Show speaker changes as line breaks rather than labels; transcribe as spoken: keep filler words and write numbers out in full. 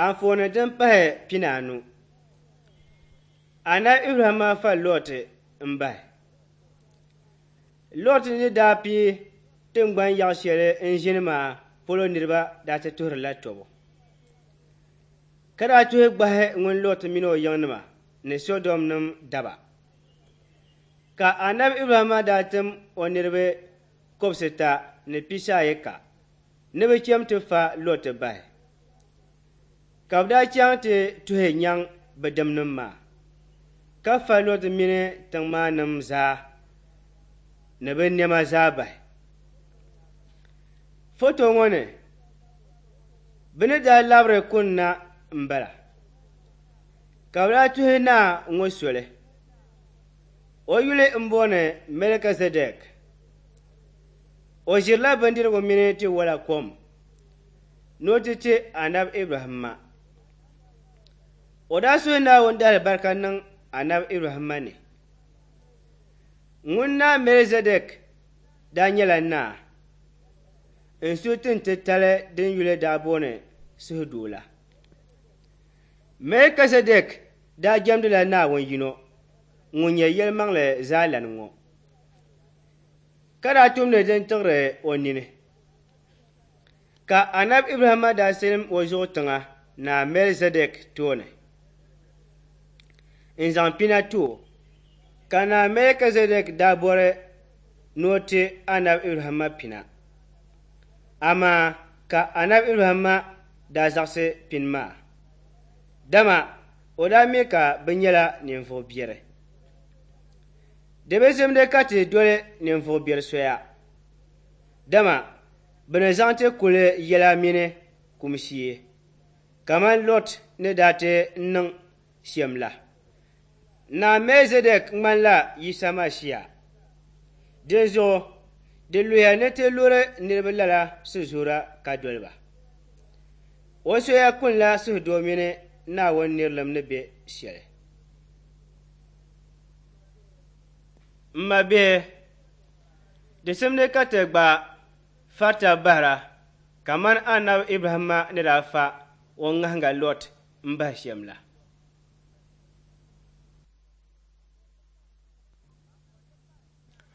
Anfooni din pahi pinaanu. Anabi Ibrahimma fa Lɔt m-bahi. Lɔt ni daa pii tiŋgbani yaɣ shɛli n-ʒini maa polo niriba daa ti tuhirila tɔbu. Ka daa tuhi gbahi ŋun Lɔt min o yiŋnima ni Sɔdomnim daba. Ka Anabi Ibrahimma daa tim o niriba kɔbisita ni pisaayika ni bɛ cham ti fa Lɔt bahi. Ka bɛ daa chaŋ ti tuhi nyaŋ bɛ dimnim maa, ka fa Lɔt mini tiŋ maa nim zaa ni bɛ nɛma zaa bahi. Foto ŋɔ ni, bɛ ni daa labiri kunna m-bala, ka bɛ daa tuhi naa ŋɔ soli. O yuli m-booni Mɛlikizɛdɛk. O ʒirila bindirigu mini tiwala kom ni o ti ti Anabi Ibrahimma. O daa suhi Naawuni daalibarika niŋ Anabi Ibrahimma ni. Ŋun naa Mɛlikizɛdɛk daa nyɛla naa n-su tin titali din yuli daa booni Suhudoo la. Mɛlikizɛdɛk daa jɛmdila Naawuni yino ŋun nyɛ yɛlimaŋli zaalana ŋɔ, ka daa tumdi din tiɣiri o nini. Ka Anabi Ibrahimma daa silim o zuɣu tiŋa Naa Mɛlikizɛdɛk tooni n-zaŋ pina ti o. Ka Naa Mɛlikizɛdɛk daa bɔri ni o ti Anabi Ibrahimma pina, amaa ka Anabi Ibrahimma daa zaɣisi pini maa, dama o daa mi ka bɛ nyɛla ninvuɣ biɛri. Di bi simdi ka ti doli ninvuɣ biɛri soya, dama bɛ ni zaŋ ti kuli yɛla mini kum shee, kaman Lɔt ni daa ti niŋ shɛm la. Naa Mɛlikizɛdɛk ŋmanila Yisa Masia. Dinzuɣu di luya ni ti luri niriba lala sizuura ka doli ba. O soya kunila suhudoo mini Naawuni nirilim ni be shɛli. M mabihi, di simdi ka ti gba farita bahira kaman Anabi Ibrahimma ni daa fa o ŋahiŋga Lɔt m-bahi shɛm la.